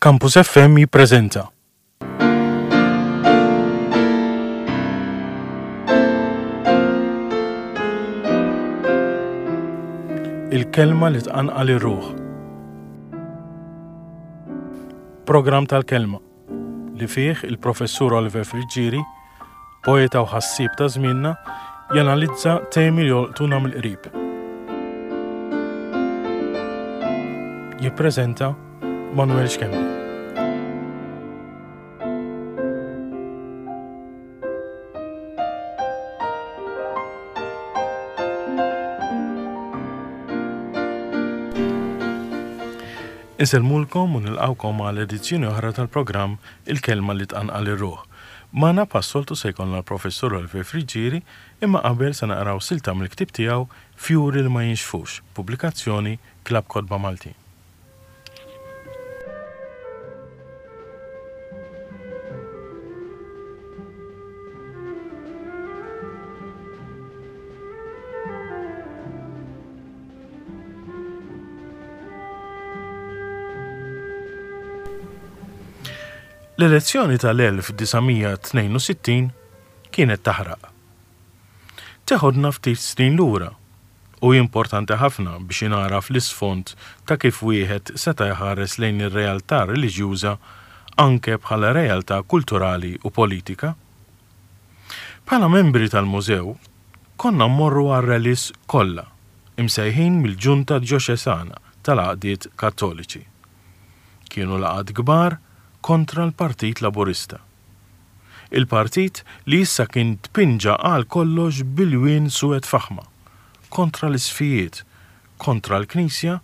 Campus FM jippreżenta. Il-kelma li tqanqal ir-ruħ. Programm tal-kelma li fih il-Professur Oliver Friggieri, poeta u ħassieb ta' żmienna, janalizza temi li jolqtuna mill-qrib. Jippreżenta Manuel Schembri. Insellmulkom u nilqgħukom għal edizzjoni oħra tal-programm Il-Kelma li Tqanqal ir-Ruħ. Magħna bħas-soltu se jkollna l-Professur Oliver Friggieri, imma qabel se naqraw silta mill-ktieb tiegħu Fjuri li ma Jinxfux, pubblikazzjoni Klabb Kotba Maltin. L-elezzjoni tal-1962 kienet taħraq. Teħodna ftit snin lura u hi importanti ħafna biex ingħaraf l-isfond ta' kif wieħed seta' jħares lejn ir-realtà reliġjuża anke bħala realtà kulturali u politika. Bħala membri tal-Mużew, konna mmorru għar-rallies kollha imsejħin mill-Ġunta Djoċesana tal-Għaqdiet Kattoliċi. Kienu laqgħat kbar kontra l-Partit Laburista. Il-partit li issa kien tpinġa għal kollox b'ilwien suwed faħma, kontra l-isqfijiet, kontra l-Knisja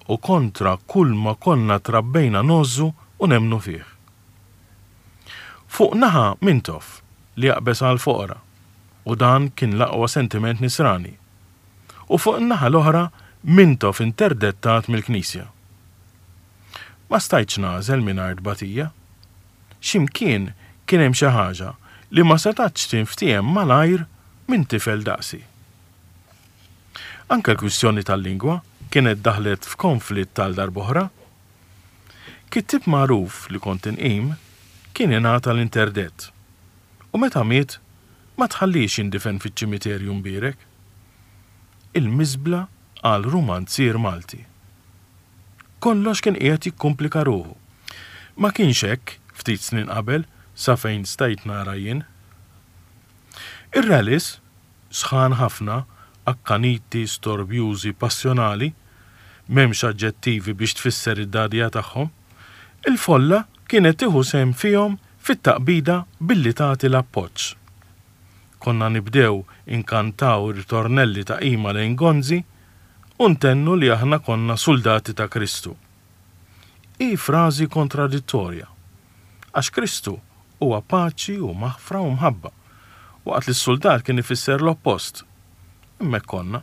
u kontra kull ma konna trabbejna ngħożżu u nemmnu fih. Fuq naħa Mintoff li jaqbeż għall-foqra, u dan kien l-aqwa sentiment nisrani. U fuq in-naħa l-oħra Mintoff interdettat mill-Knisja. Ma stajtx nagħżel mingħajr tbatija. Xi mkien kien hemm xi ħaġa li ma setgħetx tinftiehem malajr minn tifel daqsi. Anke l-kwistjoni tal-lingwa kienet daħlet f'konflitt għal darb'oħra. Kittieb magħruf li kont inqim kien ingħata l-interdett u meta miet ma tħalliex jindifen fiċ-ċimiterju mbierek. Il-miżbla għal rumanzier Malti. Kollox kien qiegħed jikkumplika ruħu. Ma kienx hekk ftit snin qabel sa fejn stajt nara jien. Ir-rallies, sħan ħafna, akkaniti, storbjużi, passjonali, m'hemmx aġġettivi biex tfisser id-dagħdigħa tagħhom, il-folla kienet tieħu sehem fihom fit-taqbida billi tagħti l-appoġġ. Konna nibdew inkantaw ritornelli ta' qima lejn Gonzi u ntennu li aħna konna suldati ta' Kristu. Hi frażi kontradittorja, għax Kristu huwa paċi u maħfra u mħabba, waqt li s-suldat kien ifisser l-oppost. Imma hekk konna.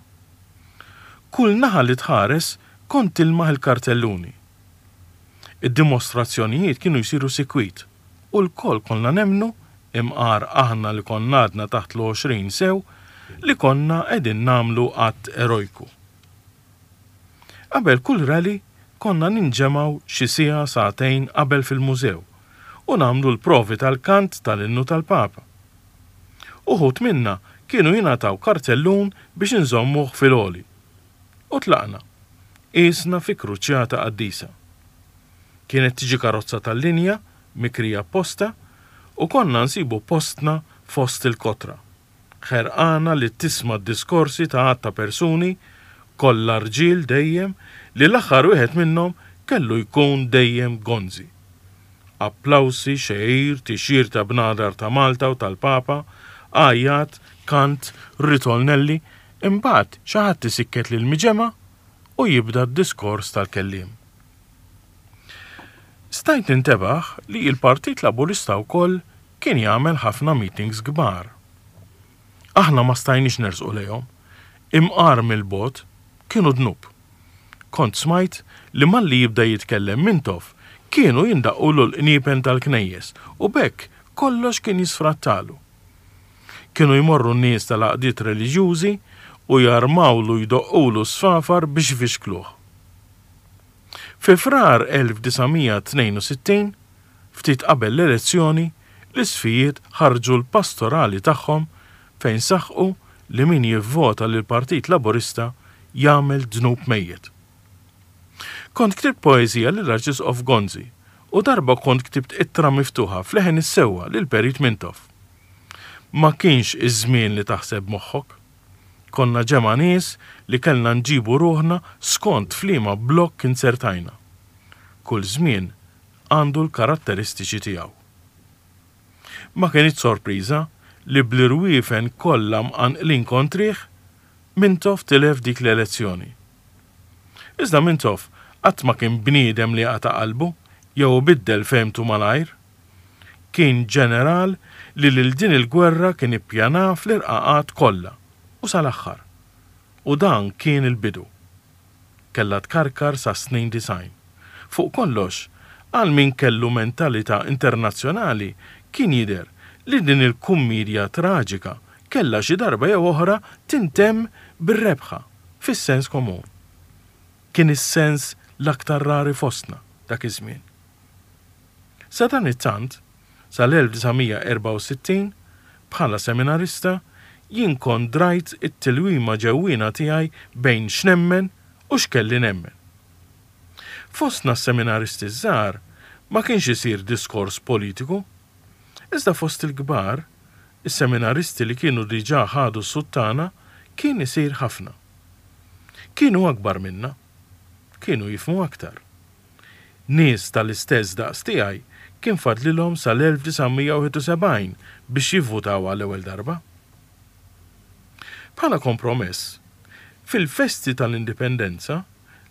Kull naħa li tħares kont tilmaħ il-kartelluni. Id-dimostrazzjonijiet kienu jsiru sikwit u lkoll konna nemmnu, imqar aħna li konna għadna taħt l-għoxrin sew, li konna qegħdin nagħmlu att erojku. Qabel kull rally konna ninġemgħu xi siegħa sagħtejn qabel fil-mużew u nagħmlu l-provi tal-kant tal-innu tal-Papa. Uħud minna kienu jingħataw kartellun biex inżommuh fil-għoli. U tlaqna, qiesna fi kruċjata qaddisa. Kienet tiġi karozza tal-linja mikrija apposta u konna nsibu postna fost il-kotra, ħerqana li tisma' d-diskorsi ta' għadd ta' persuni, kollha rġiel dejjem, li l-aħħar wieħed minnhom kellu jkun dejjem Gonzi. Applawsi, xegħir, tixjir ta' bnadar ta' Malta u tal-Papa, għajjat, kant, ritornelli, imbagħad xi ħadd isikket lill-miġemgħa u jibda d-diskors tal-kelliem. Stajt nintebaħ li l-Partit Laburista wkoll kien jagħmel ħafna meetings kbar. Aħna ma stajniex nersqu lejhom. Imqar mill-bogħod, kienu dnub. Kont smajt li malli jibda jitkellem Mintoff kienu jindaqqulu l-qniepen tal-knejjes u b'hekk kollox kien jisfrattalu. Kienu jmorru n-nies tal-għaqdiet reliġjużi u jarmawlu jdoqqulu s-sfafar biex ifixkluh. Fi Frar 1962, ftit qabel l-elezzjoni, l-Isqfijiet ħarġu l-pastorali tagħhom fejn saħqu li min jivvota lill-Partit Laburista jagħmel dnub mejjet. Kont ktibt poeżija lill-Arċisqof Gonzi u darba kont ktibt ittra miftuħa f'leħen is-sewwa lill-Perit Mintoff. Ma kienx iż-żmien li taħseb b'moħħok. Konna ġemgħa nies li kellna nġibu ruħna skont f'liema blokk inzertajna. Kull żmien għandu l-karatteristiċi tiegħu. Ma kinitx sorpriża li bl-irwiefen kollha mqanqlin kontrih, Mintoff tilef dik l-elezzjoni. Iżda Mintoff qatt ma kien bniedem li jaqta' qalbu jew ibiddel fehmtu malajr. Kien ġeneral li lil din il-gwerra kien ippjanaha fl-irqaqat kollha u sal-aħħar. U dan kien il-bidu. Kellha tkarkar sas-snin 90. Fuq kollox, għal min kellu mentalità internazzjonali kien jidher li din il-kummiedja traġika kellha xi darba jew oħra tintemm bir-rebħa, fis-sens komun. Kien is-sens l-aktar rari fostna dak iż-żmien. Sadanittant, sal-1964, bħala seminarista, jien kont drajt it-tilwima ġewwiena tiegħi bejn x'nemmen u x'kelli nemmen. Fostna s-seminaristi ż-żgħar ma kienx isir diskors politiku, iżda fost il-kbar, is-seminaristi li kienu diġà ħadu s-suttana, kien isir ħafna. Kienu akbar minna. Kienu jifhmu aktar. Nies tal-istess daqs tiegħi kien fadlilhom sal-1971 biex jivvutaw għall-ewwel darba. Bħala kompromess, fil-festi tal-Indipendenza,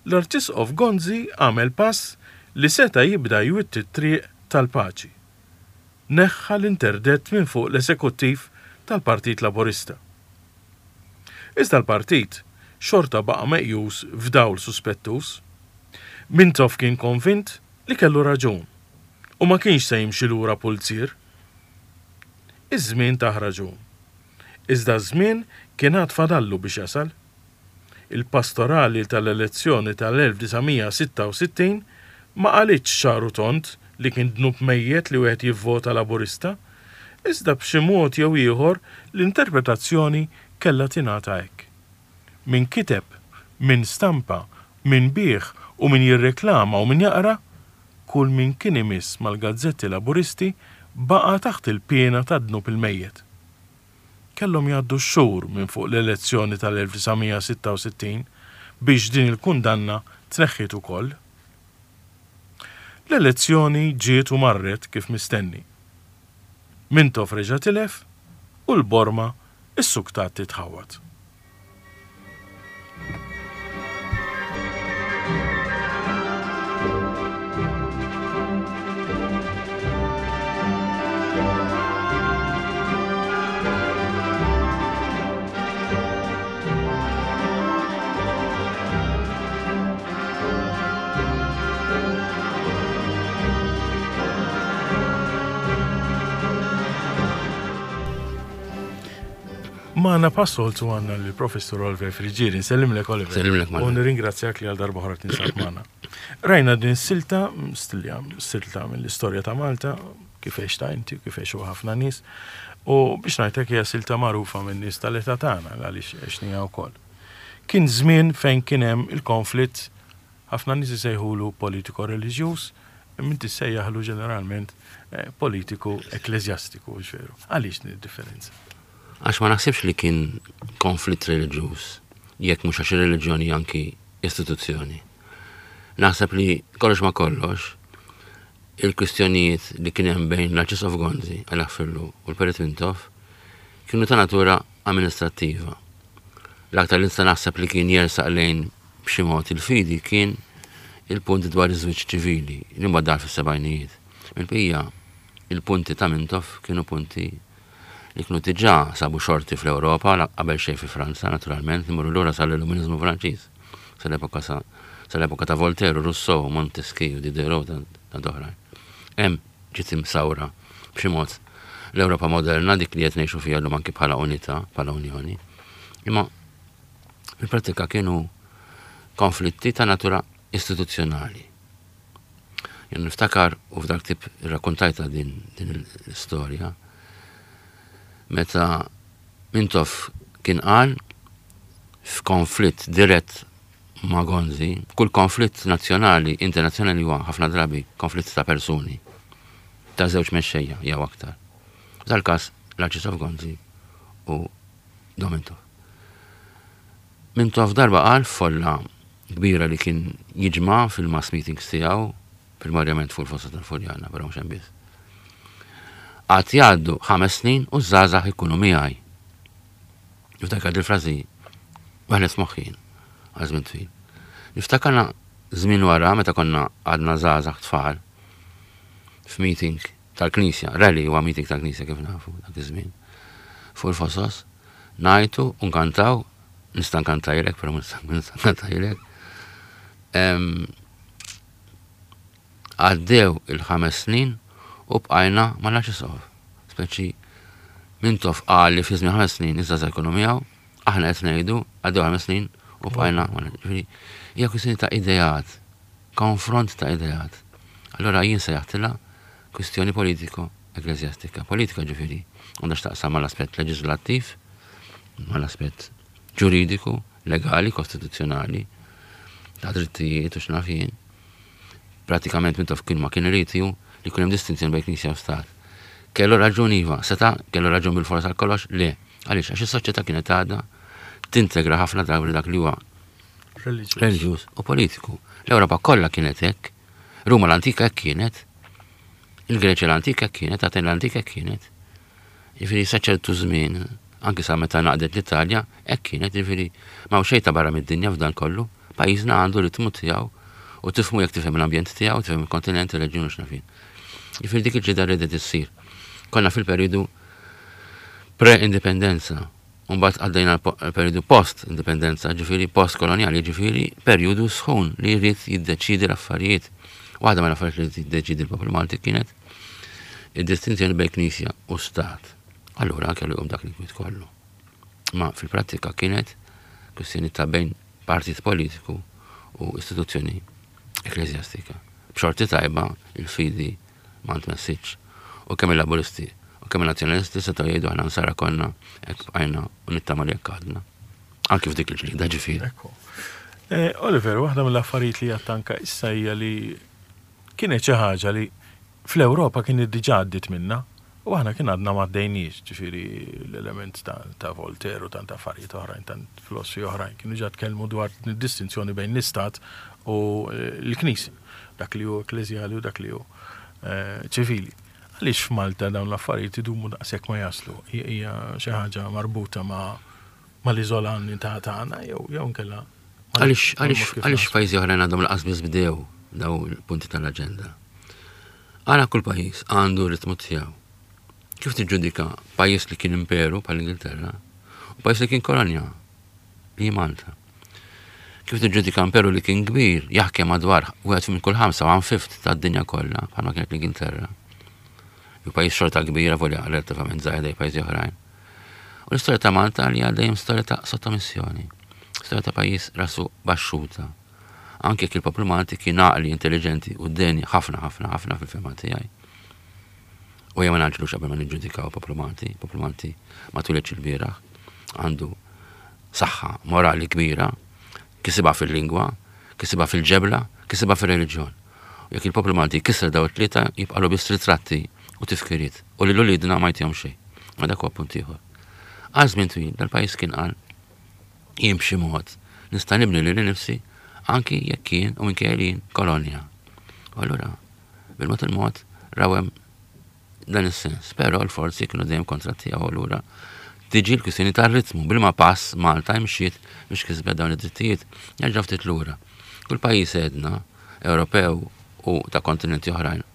l-Arċisqof Gonzi għamel pass li seta' jibda jwitti t-triq tal-paċi. Neħħa l-interdett minn fuq l-esekuttiv tal-Partit Laburista. Iżda l-partit xorta baqa' meqjus f'dawl suspettuż. Mintoff kien konvint li kellu raġun u ma kienx se jimxi lura pulzier. Iż-żmien tah raġun. Iżda ż-żmien kien għad fadallu biex jasal. Il-pastorali tal-elezzjoni tal-1966 ma qalitx ċar u tond li kien dnub mejjet li wieħed jivvota Laburista, iżda b'xi mod jew ieħor l-interpretazzjoni kellha tingħata hekk. Min kiteb, min stampa, min biegħ u min jirreklama u min jaqra, kull min kien imiss mal-gazzetti Laburisti baqa' taħt il-piena tad-dnub il-mejjet. Kellhom jgħaddu x-xhur minn fuq l-elezzjoni tal-1966 biex din il-kundanna tneħħiet ukoll. L-elezzjoni ġiet u marret kif mistenni. Mintoff reġa' tilef u l-borma issuktat titħawwad. Magħna bħas-soltu għandna lill-Professur Oliver Friggieri. Nsellimlek Oliver. Nsellimlek Manuel. U nirringrazzjak li għal darba oħra tinsab magħna. Rajna din silta, stilja, silta mill-istorja ta' Malta, kif għexta inti, kif għexu ħafna nies. U biex ngħidlek hija silta magħrufa minn nies tal-età tagħna għaliex għexnija wkoll. Kien żmien fejn kien hemm il-konflitt ħafna nies isejħulu politiko-reliġjuż, imma inti ssejjaħlu ġeneralment eh, politiku ekkleżjastiku, veru. Għaliex din id-differenza? Għax ma naħsibx li kien konflitt reliġjuż, jekk mhux għax ir-reliġjoni anki istituzzjoni. Naħseb li kollox ma kollox, il-kwistjonijiet li kien hemm bejn l-Arċisqof Gonzi, Alla jaħfirlu, u l-Perit Mintoff kienu ta' natura amministrattiva. L-aktar li nista' naħseb li kien jersaq lejn b'xi mod il-fidi kien il-punt dwar iż-żwieġ ċivili li mbagħad dar fis-sebgħinijiet. Mill-bqija, il-punti ta' Mintoff kienu punti li kienu diġà sabu xorti fl-Ewropa, qabel xejn fi Franza, naturalment, imorru lura sal-Illuminizmu Franċiż, sal-epoka sal-epoka ta' Voltaire u Rousseau, Montesquieu, Diderot u tant oħrajn. Hemm ġiet imsawra b'xi mod l-Ewropa moderna dik li qed ngħixu fiha llum anki bħala unità, bħala unjoni. Imma fil-prattika kienu konflitti ta' natura istituzzjonali. Jien niftakar u f'dak tip irrakkontajta din din l-istorja meta Mintoff kien qal f'konflitt dirett ma' Gonzi, kull konflitt nazzjonali, internazzjonali huwa ħafna drabi konflitt ta' persuni, ta' żewġ mexxejja jew aktar. F'dal-każ l-Arċisqof Gonzi u Dom Mintoff. Mintoff darba qal f'folla kbira li kien jiġma' fil-mass meetings tiegħu, primarjament fuq il-fossa tal-Furjana, però mhux hemm biss. Għad jgħaddu ħames snin u ż-żgħażagħ ikunu miegħi. Niftakar dil-frażi waħlet f'moħħi għal żmien twil. Niftakarna żmien wara meta konna għadna żgħażagħ tfal f'meeting tal-Knisja, rally huwa meeting tal-Knisja kif nafu dak iż-żmien. Fuq il-fosos, ngħajtu u nkantaw, nista' nkantajlek, però nista' nkantajlek. Għaddew il-ħames snin u bqajna mal-Arċisqof. Speċi Mintoff qal li fi żmien ħames snin iż-żgħażagħ jkunu miegħu, aħna qed ngħidu għaddew ħames snin u bqajna mal-Ġifieri hija kwistjoni ta' ideat, konfront ta' ideat. Allura jien sejjaħtilha kwistjoni politiko ekkleżjastika. Politika ġifieri għandha x'taqsam mal-aspett leġislattiv, mal-aspett ġuridiku, legali, kostituzzjonali, ta' drittijiet u x'naf jien. Pratikament Mintoff kien ma kien irid hu li jkun hemm distinzjoni bejn Knisja u Stat. Kellu raġun iva, seta' kellu raġun bil-fors għal kollox? Le. Għaliex? Għax is-soċjetà kienet għadha tintegra ħafna drabi dak li huwa reliġjuż u politiku. L-Ewropa kollha kienet hekk. Ruma l-antika hekk kienet. Il-Greċja l-antika hekk kienet, Aten l-antika hekk kienet. Jiġifieri sa ċertu żmien, anki sa meta ngħaqdet l-Italja, hekk kienet, jiġifieri m'hawn xejn ta' barra mid-dinja f'dan kollu. Pajjiżna għandu ritmu tiegħu u tifhmu jekk tifhem l-ambjent tiegħu, tifhem il-kontinent, ir-reġjun u x'naf jien. Jiġifieri dik il-ġlieda riedet issir. Konna fil-perjodu pre-indipendenza, u mbagħad għaddejna l-perjodu post-indipendenza, ġifieri post-kolonjali, ġifieri perjodu sħun li jrid jiddeċiedi l-affarijiet. Waħda mill-affarijiet li jrid jiddeċiedi l-poplu Malti kienet id-distinzjoni bejn Knisja u Stat. Allura kellu jqum dak l-inkwiet kollu. Ma fil-prattika kienet kwistjoni ta' bejn partit politiku u istituzzjoni ekkleżjastika. B'xorti tajba il-fidi ma ntmessitx u kemm il-Laburisti u kemm il-Nazzjonalisti setgħu jgħidu aħna nsara konna hekk bqajna u nittama li hekk għadna. Anki f'dik il-ġlieda ġifieri. Eh, Oliver, waħda mill-affarijiet li jattanka issa hija li Kienet xi ħaġa li fl-Ewropa kienet diġà għaddiet minnha u aħna kien għadna m'għaddejniex, ġifieri l-element ta' Voltaire u tant affarijiet oħrajn, tant filosfi oħrajn kienu ġa tkellmu dwar din id-distinzjoni bejn l-istat u l-Knisja, dak li hu ekkleżjali u dak li hu ċivili. Għaliex f'Malta dawn l-affarijiet idumu daqshekk ma jaslu? Hija xi ħaġa marbuta ma' mal-iżolanità tagħna jew jew inkella Għaliex għaliex għaliex pajjiżi oħrajn għadhom laqas biss bdew daw il-punti tal-aġenda. Għala kull pajjiż għandu ritmu tiegħu. Kif tiġġudika pajjiż li kien imperu bħal Ingilterra u pajjiż li kien kolonja li Malta. Kif tiġġudika imperu li kien kbir jaħkem madwar wieħed minn kull ħamsa one fifth tad-dinja kollha bħalma kienet l-Ingilterra. Jew pajjiż xorta kbira volja relattivament żgħir pajjiżi oħrajn. U l-istorja ta' Malta li għal dejjem storja ta' sottomissjoni, storja ta' pajjiż rasu baxxuta. Anke jekk il-poplu Malti kien għaqli, intelliġenti u deni ħafna ħafna ħafna fil-fehma tiegħi. U ejja ma ngħaġġlux qabel ma niġġudikaw il-poplu Malti. Il-poplu Malti ma twilidx ilbieraħ, għandu saħħa morali kbira, kisibha fil-lingwa, kisibha fil-ġebla, kisibha fir-reliġjon. U jekk il-poplu Malti jkisser daw it-tlieta jibqagħlu biss ritratti u tifkiriet u lil uliedna ma jtihom xejn. Ma dak huwa punt ieħor. Għal żmien twil dal-pajjiż kien qal jien b'xi mod nista' nibni lili nifsi anki jekk jien u minkejja li jien kolonja. U allura bil-mod il-mod raw hemm dan is-sens. Però l-forzi kienu dejjem kontra tiegħu allura tiġi l-kwistjoni tar-ritmu bilma pass Malta imxiet biex kisbet dawn id-drittijiet. Nerġa' ftit lura. Kull pajjiż għedna Ewropew u ta' kontinenti oħrajn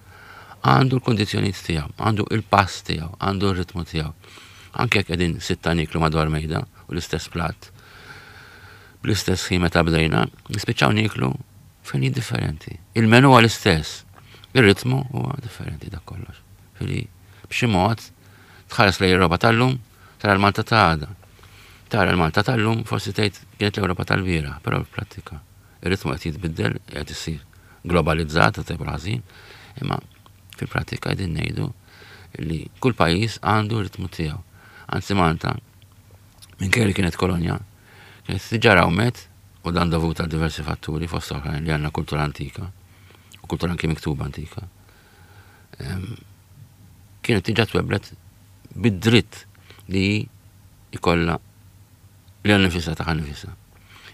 għandu l-kundizzjonijiet tiegħu, għandu il-pass tiegħu, għandu r-ritmu tiegħu. Anke jekk qegħdin sitta nieklu madwar mejda u l-istess platt, bl-istess ħin meta bdejna, nispiċċaw nieklu f'ħinijiet differenti. Il-menu huwa l-istess, ir-ritmu huwa differenti dak kollox. Fili b'xi mod tħares lejn l-Ewropa tal-lum, tara l-Malta ta' għada. Tara l-Malta tal-lum forsi tgħid kienet l-Ewropa tal-bieraħ, però fil-prattika ir-ritmu qed jitbiddel, qed isir. globalizzata tajjeb u ħażin, imma fil-prattika qegħdin ngħidu li kull pajjiż għandu ritmu tiegħu. Anzi Malta, minkejja li kienet kolonja, kienet diġà rawmet u dan dovut għal diversi fatturi fost oħrajn li għandna kultura antika u kultura anki miktuba antika. Kienet diġà tweblet bid-dritt li jkollha li nifisha taħ nifisha.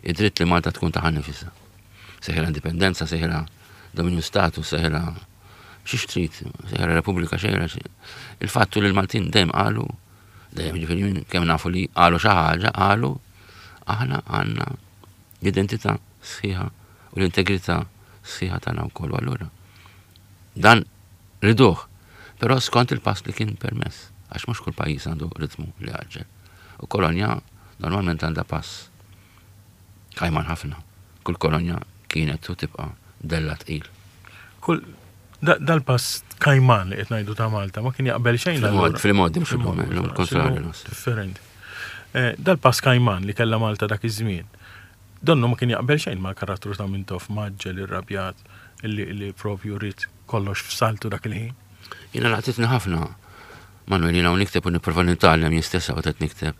Id-dritt li Malta tkun taħ nifisha. Seħira indipendenza, seħira dominju status, seħira xiex trid, seħira Repubblika xejra. Il-fattu li l-Maltin dejjem qalu, dejjem ġifieri minn kemm nafu li qalu xi ħaġa, qalu aħna għandna l-identità sħiħa u l-integrità sħiħa tagħna wkoll allura. Dan riduh, però skont il-pass li kien permess, għax mhux kull pajjiż għandu ritmu li għaġġel. U kolonja normalment għandha pass kajman ħafna. Kull kolonja kienet u tibqa' della tqil. Kull dal-pass kajman li qed ngħidu ta' Malta ma kien jaqbel xejn. Fil-modi mhux il-lum, il-kontrarju. Differenti. Eh, dal-pass kajman li kellha Malta dak iż-żmien, donnu ma kien jaqbel xejn mal-karattru ta' Mintoff maġġel irrabjat li propju rrid kollox f'saltu dak il-ħin. Jiena laqtitni ħafna, Manuel, jiena u nikteb u nipprova nitgħallem jien stess qed nikteb.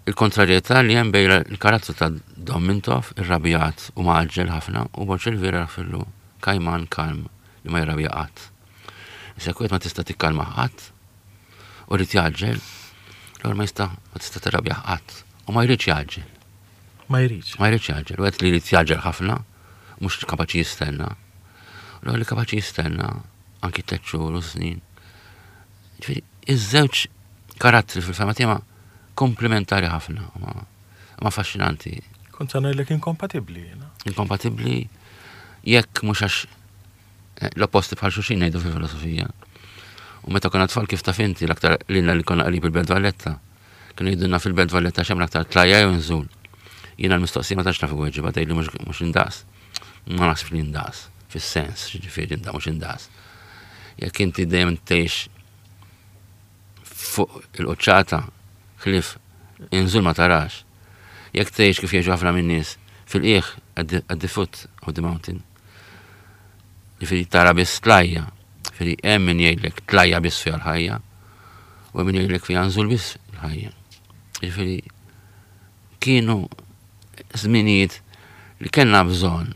Il-kontrarjetà li hemm bejn il-karattru ta' Dom Mintoff, irrabjat u mgħaġġel ħafna, u Borg Elvira Rafillu, kajman kalm li ma jirrabja qatt. Issa jekk wieħed ma tista' tikkalmah qatt u jrid jgħaġġel, l-ewwel ma jista' ma tista' tirrabjah qatt u ma jridx jgħaġġel. Ma jridx. Ma jridx jgħaġġel. Wieħed li jrid jgħaġġel ħafna, mhux kapaċi jistenna. U li kapaċi jistenna anki tliet xhur u snin. Ġifieri, iż-żewġ karattri fil-fema tiegħi komplementari ħafna, ma affaxxinanti. Kont sa ngħidlek inkompatibbli jiena. Inkompatibbli jekk mhux għax eh, l-opposti bħal xulxin ngħidu fil-filosofija. U meta konna tfal kif taf inti l-aktar lilna li konna qrib il-Belt Valletta. Kienu jgħidulna fil-Belt Valletta x'hemm l-aktar tlajja jew nżul. Jiena l-mistoqsija ma tantx naf inweġibha tgħidli mhux indaqs. Ma naħsibx li indaqs, fis-sens, ġifieri inda mhux indaqs. Jekk inti dejjem tgħix fuq il-quċċata ħlief inżul ma tarax. Jekk tgħix kif jgħixu ħafna min-nies fil-qiegħ at the foot of the mountain. Ġifieri tara biss tlajja. Ġifieri hemm min jgħidlek tlajja biss fiha l-ħajja u hemm min jgħidlek fiha nżul biss l-ħajja. Ġifieri kienu żminijiet li kellna bżonn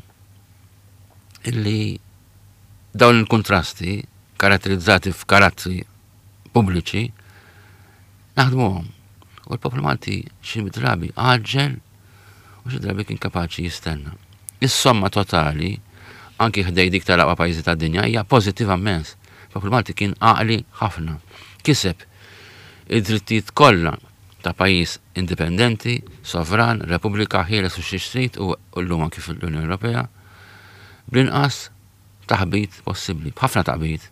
illi dawn il-kontrasti karatterizzati f'karattri pubbliċi naħdmuhom. U l-poplu Malti xi drabi għaġġel u xi drabi kien kapaċi jistenna. Is-somma totali, anki ħdej dik tal-aqwa pajjiżi tad-dinja, hija pożittiva immens. Il-poplu Malti kien għaqli ħafna. Kiseb id-drittijiet kollha ta' pajjiż indipendenti, sovran, repubblika ħieles u xi trid u llum anki fl-Unjoni Ewropea, bl-inqas taħbit possibbli, b'ħafna taqbid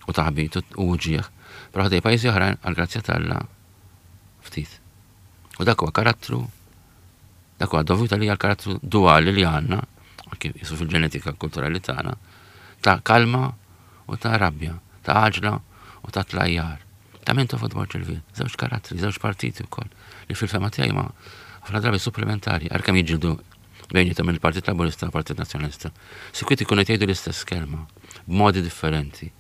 u taħbit u uġigħ, però ħdej pajjiżi oħrajn għall-grazzja t'Alla ftit. U dak huwa karattru dak huwa dovut għalija l-karattru duali li għandna, anki jisu fil-ġenetika kulturali tagħna, ta' kalma u ta' rabja, ta' għaġla u ta' tlajjar. Ta' Mintoff u Dwar Ġilvil, żewġ karattri, żewġ partiti wkoll, li fil-fema tiegħi ma ħafna drabi supplementari, għalkemm jiġġieldu bejnietom il-Partit Laburista u l-Partit Nazzjonalista. Sikwit ikunu qed jgħidu l-istess kelma b'modi differenti.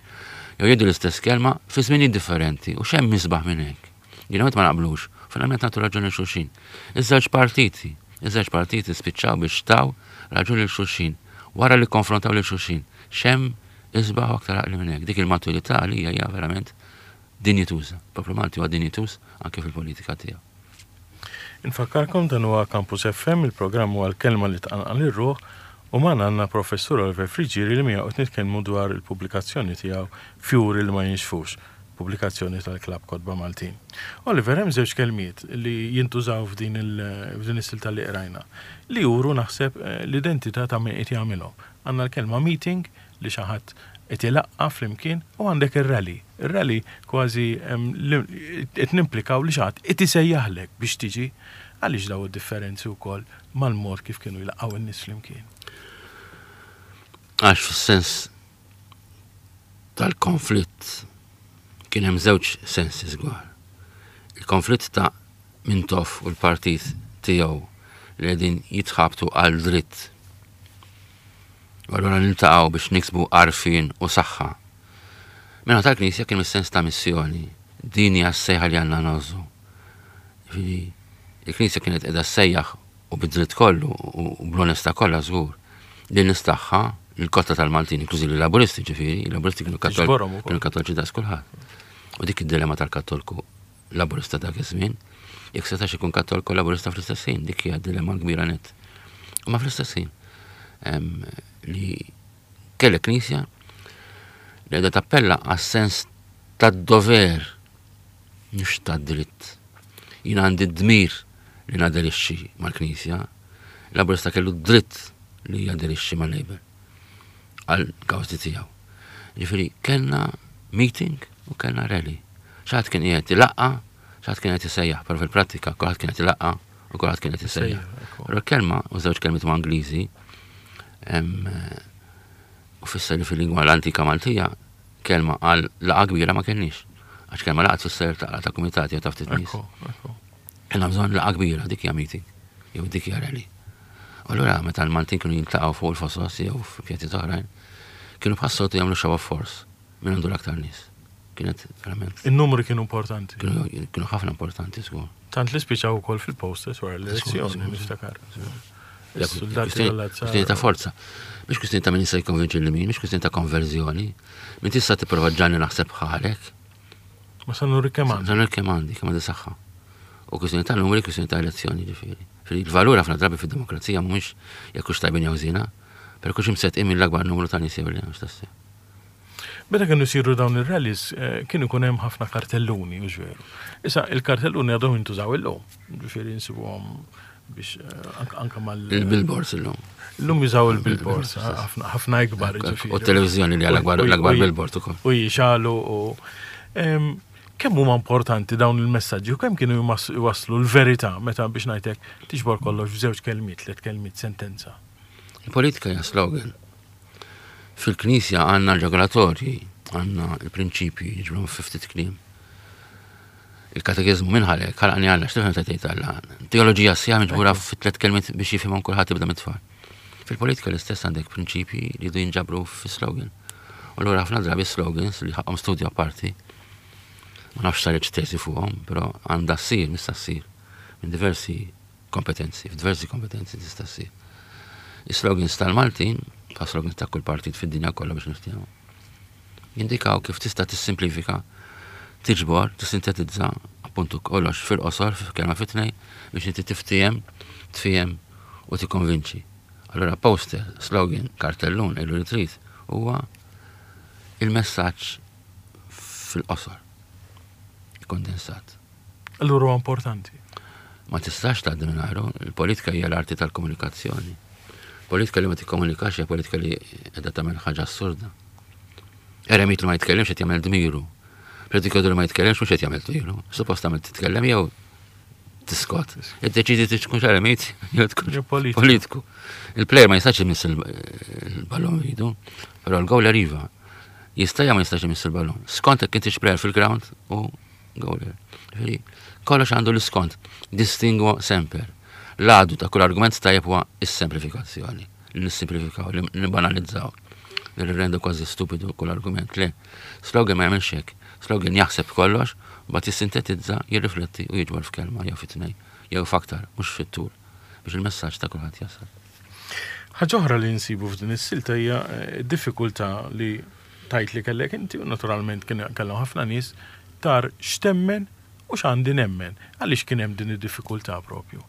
Jew jgħidu l-istess kelma fi żminijiet differenti u x'hemm isbaħ minn hekk. Jiena ma naqblux, finalment nagħtu raġun lil xulxin. Iż-żewġ partiti, iż-żewġ partiti spiċċaw biex taw raġun lil xulxin wara li konfrontaw lil xulxin. X'hemm isbaħ u aktar għaqli minn hekk. Dik il-maturità għalija hija verament dinjituża. Poplu Malti huwa dinjituż anke fil-politika tiegħu. Infakkarkom dan huwa Campus FM, il-programm huwa l-kelma li tqanqal ir-ruħ u magħna għandna Professur Oliver Friggieri li miegħu qed nitkellmu dwar il-pubblikazzjoni tiegħu Fjuri li ma jinxfux, pubblikazzjoni tal-Klabb Kotba Maltin. Oliver, hemm żewġ kelmiet li jintużaw f'din f'din is-silta li qrajna li juru naħseb l-identità ta' min qed jagħmilhom. Għandna l-kelma meeting li xi ħadd qed ilaqqa' flimkien u għandek ir-rally. Ir-rally kważi qed nimplikaw li xi ħadd qed isejjaħlek biex tiġi. Għaliex dawn id-differenzi wkoll mal-mod kif kienu jlaqqgħu n-nies flimkien? Għax fis-sens tal-konflitt kien hemm żewġ sensi żgwar. Il-konflitt ta' Mintoff u l-partit tiegħu li qegħdin jitħabtu għal dritt. U allura niltaqgħu biex niksbu għarfien u saħħa. Min-naħa tal-Knisja kien is-sens ta' missjoni. Din hija s-sejħa li għandna ngħożżu. Jiġifieri, il-Knisja kienet qiegħda ssejjaħ u bid-dritt kollu u bl-onestà kollha żgur lin-nies tagħha, lill-kotra tal-Maltin, inklużi lill-Laburisti ġifieri, il-Laburisti kienu kienu kattoliċi daqs kulħadd. U dik id-dilemma tal-Kattolku Laburista dak iż-żmien, jekk setax ikun Kattolku Laburista fl-istess ħin, dik hija dilemma kbira nett. Imma fl-istess ħin li kellek Knisja li qiegħda tappella għas-sens tad-dover mhux tad-dritt. Jien għandi d-dmir li naderixxi mal-Knisja. Laburista kellu d-dritt li jaderixxi mal-Labour għal kawżi tiegħu. Ġifieri kellna meeting u kellna rally. Xi kien qiegħed ilaqqa, xi kien qed isejjaħ, però fil-prattika kulħadd kien qed ilaqqa u kulħadd kien qed isejjaħ. Però l-kelma u żewġ kelmiet huma Ingliżi u fisser li fil-lingwa l-antika Maltija kelma għal laqgħa kbira ma kellniex. Għax kelma laqgħa tfisser ta' ta' kumitat jew ta' ftit nies. Kellna bżonn laqgħa kbira, dik hija meeting, jew dik hija rally. U allura meta l-Maltin kienu jiltaqgħu fuq il-fosos jew f'pjazzi oħrajn, kienu bħas-soltu jagħmlu show of force min għandu l-aktar nies. Kienet verament. In-numri kienu importanti. Kienu ħafna importanti, żgur. Tant li spiċaw ukoll fil-posters wara l-elezzjoni, niftakar. Kwistjoni ta' forza. Mhux kwistjoni ta' min jista' jikkonvinċi lil min, mhux kwistjoni ta' konverżjoni. Min tista' tipprova ġġagħalni naħseb bħalek. Ma sa nuri kemm għandi. Sa nuri kemm għandi, kemm għandi saħħa. U kwistjoni ta' numri, kwistjoni ta' elezzjoni ġifieri. Il-valur ħafna drabi fid-demokrazija mhumiex jekk hux tajbin jew żiena, però kux imsettqin mill-akbar numru ta' nies jew le, mhux tassew. Meta kienu jsiru dawn ir-rallies kien ikun hemm ħafna kartelluni, hux veru? Issa il-kartelluni għadhom jintużaw illum, ġifieri nsibuhom biex anke mal. Il-billboards illum. Illum jużaw il-billboards, ħafna ikbar. U t-televiżjoni li l-akbar billboard ukoll. U jixalu u kemm huma importanti dawn il-messaġġi u kemm kienu jwasslu l-verità meta biex ngħidlek tiġbor kollox f'żewġ kelmiet, tliet kelmiet, sentenza. Il-politika hija slogan. Fil-Knisja għandna r-regolatorji, għandna l-prinċipji, jiġbru fi ftit kliem. Il-katekiżmu minn ħalek, ħalaqni Alla, x'tifhem ta' tgħid Alla? Teoloġija sħiħa miġbura fi tliet kelmiet biex jifhimhom kulħadd ibda mit-tfal. Fil-politika l-istess għandek prinċipji li jdu jinġabru fi slogan. U allura ħafna drabi slogans li ħaqhom studju apparti, ma nafx saritx tesi fuqhom, però għandha ssir, nista' ssir minn diversi kompetenzi, f'diversi kompetenzi tista' ssir. Is-slogans tal-Maltin, bħal slogans ta' kull partit fid-dinja kollha biex niftehmu, jindikaw kif tista' tissimplifika, tiġbor, tissintetizza appuntu kollox fil-qosor, f'kelma fi tnej, biex inti tiftiehem, tfiehem u tikkonvinċi. Allura poster, slogan, kartellun, għidlu li trid, huwa il-messaġġ fil-qosor, kondensat. Allura huwa importanti. Ma tistax tgħaddi mingħajru. Il-politika hija l-arti tal-komunikazzjoni. Politika li ma tikkomunikax hija politika li qiegħda tagħmel ħaġa assurda. Eremit li ma jitkellimx qed jagħmel dmiru. Predikatur li ma jitkellimx mhux qed jagħmel dmiru. Suppost tagħmel titkellem jew tiskot. Iddeċidi tkun eremit jew tkun politiku. Il-plejer ma jistax imiss il-ballon idu, però l-gowler iva. Jista' jew ma jistax imiss il-ballon. Skont jekk intix plejer fil-ground u Gowler. Ġifieri, kollox għandu l-iskont. Distingwo semper. L-għadu ta' kull argument tajjeb huwa s-semplifikazzjoni. Li nissimplifikaw, li nibbanalizzaw. Li nirrendu kważi stupidu kull argument. Le, slogan ma jagħmilx hekk. Slogan jaħseb kollox, mbagħad jissintetizza, jirrifletti u jiġbor f'kelma jew fi tnejn, jew f'aktar, mhux fit-tul, biex il-messaġġ ta' kulħadd jasal. Ħaġa oħra li nsibu f'din is-silta hija d-diffikultà li tgħid li kellek inti u naturalment kien kellhom ħafna nies tar x'temmen u x'għandi nemmen. Għaliex kien hemm din id-diffikultà propju?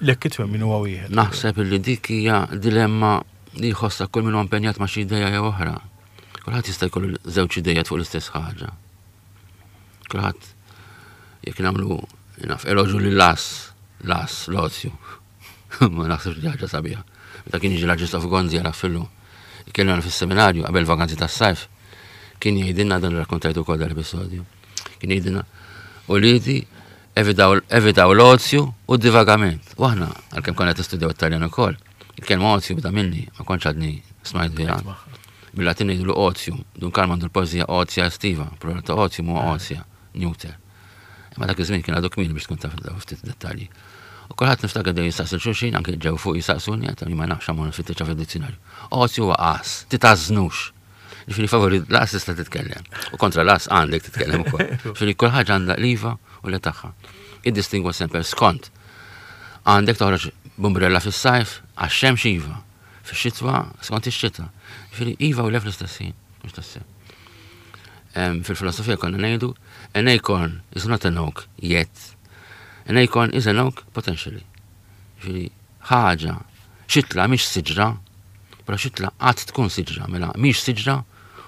Lekk it-twemmin huwa wieħed. Naħseb li dik hija dilemma li jħossha kull min huwa impenjat ma' xi idea jew oħra. Kulħadd jista' jkollu żewġ idejat fuq l-istess ħaġa. Kulħadd jekk nagħmlu naf eloġu lil las, las, l-ozju. Ma naħsibx li ħaġa sabiħa. Meta kien jiġi l-Arċisqof Gonzi għal Affillu, ikellimna fis-seminarju qabel vakanzi tas-sajf, kien jgħidilna dan rakkontajtu wkoll dal-episodju. Kien jgħidilna, uliedi, evitaw l-ozju u d-divagament. U aħna, għalkemm konna qed nistudjaw it-Taljan ukoll, il-kelma ozju bda minni, ma kontx għadni smajt biha. Bil-Latin ngħidulu otium, Dun Karm għandu l-poeżija Ozia Estiva, plural ta' otium huwa ozia, neuter. Imma dak iż-żmien kien għadu kmieni biex tkun taf ftit dettalji. U kulħadd niftakar dejjem jistaqsi xulxin, anke ġew fuq jistaqsuni, għedt ma nafx ammur nfittixha fid-dizzjonarju. Ozju huwa qas, titażnux. Ġifieri favori l-qas tista' titkellem. U kontra l-qas għandek titkellem ukoll. Ġifieri kull ħaġa għandha l-iva u le tagħha. Iddistingwa sempre skont. Għandek toħroġ b'umbrella fis-sajf għax-xemx iva. Fix-xitwa skont ix-xita. Ġifieri iva u le fl-istess ħin, mhux tassew. Fil-filosofija konna ngħidu an acorn is not an oak yet. An acorn is an oak potentially. Ġifieri ħaġa, xitla mhix siġra, però xitla qatt tkun siġra, mela mhix siġra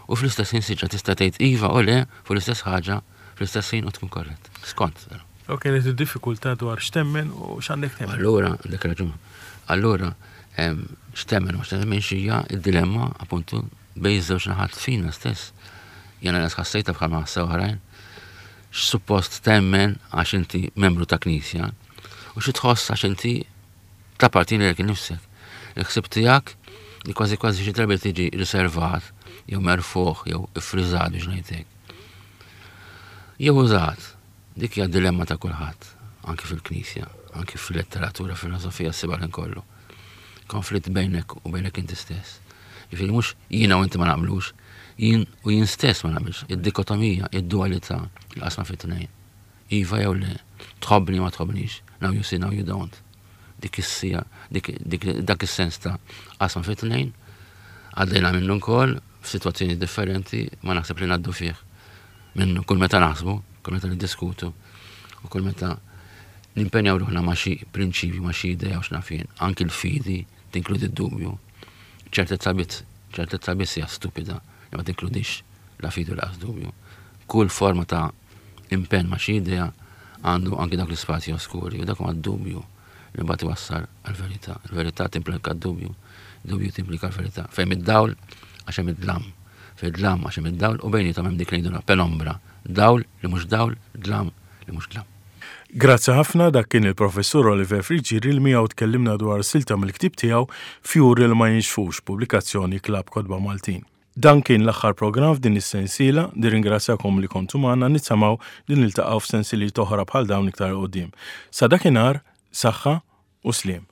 u fl-istess ħin siġra tista' tgħid iva u le fuq l-istess ħaġa fl-istess ħin u tkun korrett. Skont. U kienet id-diffikultà dwar x'temmen u x'għandek temmen. Allura, għandek raġun. Allura, x'temmen u x'temmen hija d-dilemma appuntu bejn iż-żewġ naħat fina stess. Jena nas ħassejta bħal ma ħassew oħrajn. X'suppost temmen għax inti membru ta' knisja u xi tħoss għax inti tappartieni lilek innifsek. Il-ħsieb tiegħek li kważi kważi xi drabi tiġi riservat jew merfuħ jew iffriżat biex ngħidlek. Jew użat. Dik hija dilemma ta' kulħadd, anki fil-knisja, anki fil-letteratura, filosofija ssibha kollu. Konflitt bejnek u bejnek inti stess. Jiġifieri mhux jiena u inti ma naqblux, jien u jien stess ma naqbilx. Id-dikotomija, id-dualità, il-qasma fit-tnejn. Iva jew le, tħobbni ma tħobbnix, now you see, now you don't. Dik is-sija, dak is-sens ta' qasma fit-tnejn, għaddejna minnu wkoll f'sitwazzjoni differenti ma naħseb li ngħaddu fih minnu kull meta naħsbu, kull meta niddiskutu u kull meta nimpenjaw ruħna ma' xi prinċipju, ma' xi idea u x'naf jien, anki l-fidi tinkludi d-dubju. Ċertezza biss, ċertezza biss hija stupida li ma tinkludix la fidi u laqas dubju. Kull forma ta' impenn ma' xi idea għandu anki dak l-ispazji oskuri u dak huwa d-dubju li mbagħad iwassal għall-verità. Il-verità timplika d-dubju, dubju timplika l-verità. Fejn id-dawl għax hemm id-dlam. Fejn id-dlam għax hemm id-dawl u bejniethom hemm dik li ngħidulha penombra. Dawl li mhux dawl, dlam li mhux dlam. Grazzi ħafna dak kien il-Professur Oliver Friggieri li miegħu tkellimna dwar silta mill-ktieb tiegħu Fjuri li ma jinxfux, pubblikazzjoni Klabb Kotba Maltin. Dan kien l-aħħar programm f'din is-sensiela, nirringrazzjakom li kontu magħna, nittamaw li niltaqgħu f'sensiliet oħra bħal dawn iktar 'il quddiem. Sa dakinhar, saħħa u sliem.